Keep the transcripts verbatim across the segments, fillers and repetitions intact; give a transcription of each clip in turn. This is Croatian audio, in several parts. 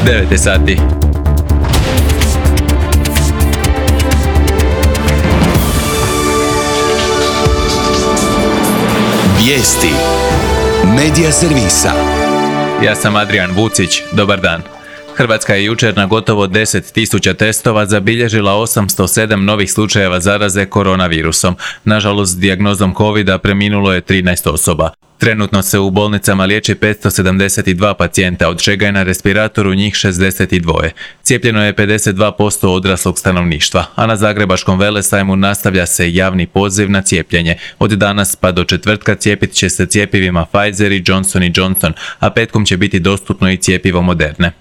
devet je sati. Vijesti Medija servisa. Ja sam Adrian Vucić, dobar dan. Hrvatska je jučer na gotovo deset tisuća testova zabilježila osamsto sedam novih slučajeva zaraze koronavirusom. Nažalost, s dijagnozom covida preminulo je trinaest osoba. Trenutno se u bolnicama liječi petsto sedamdeset dva pacijenta, od čega je na respiratoru njih šezdeset dva. Cijepljeno je pedeset dva posto odraslog stanovništva, a na Zagrebačkom velesajmu nastavlja se javni poziv na cijepljenje. Od danas pa do četvrtka cijepit će se cjepivima Pfizer i Johnson and Johnson, a petkom će biti dostupno i cjepivo Moderne.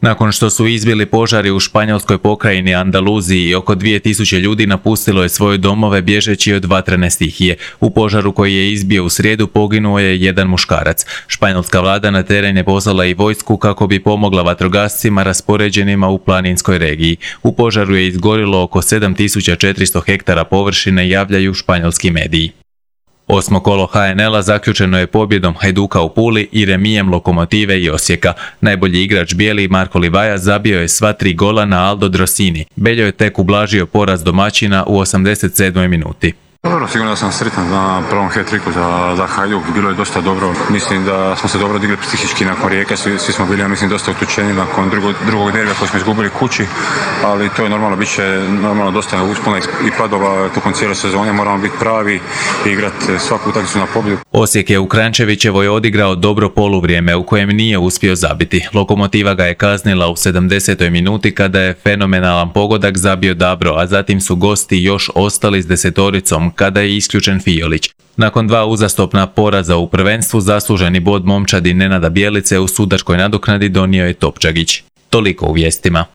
Nakon što su izbili požari u španjolskoj pokrajini Andaluziji, oko dvije tisuće ljudi napustilo je svoje domove bježeći od vatrene stihije. U požaru koji je izbio u srijedu poginuo je jedan muškarac. Španjolska vlada na teren je poslala i vojsku kako bi pomogla vatrogascima raspoređenima u planinskoj regiji. U požaru je izgorilo oko sedam tisuća četiristo hektara površine, javljaju španjolski mediji. Osmo kolo ha en el-a zaključeno je pobjedom Hajduka u Puli i remijem Lokomotive i Osijeka. Najbolji igrač bijeli Marko Livaja zabio je sva tri gola na Aldo Drossini. Beljo je tek ublažio poraz domaćina u osamdeset sedmoj minuti. Dobro, sigurno da sam sretan na prvom hat-tricku za, za Hajduk, bilo je dosta dobro. Mislim da smo se dobro digli psihički nakon Rijeke, svi, svi smo bili, ja mislim, dosta utučeni nakon drugog, drugog derbija koji smo izgubili kući, ali to je normalno, bit će normalno dosta uspona i padova tokom cijele sezone, moramo biti pravi i igrati svaku utakmicu na pobjedu. Osijek je u Kranjčevićevoj odigrao dobro poluvrijeme u kojem nije uspio zabiti. Lokomotiva ga je kaznila u sedamdesetoj minuti kada je fenomenalan pogodak zabio Dabro, a zatim su gosti još ostali s desetoricom kada je isključen Fiolić. Nakon dva uzastopna poraza u prvenstvu, zasluženi bod momčadi Nenada Bjelice u sudačkoj nadoknadi donio je Topčagić. Toliko u vijestima.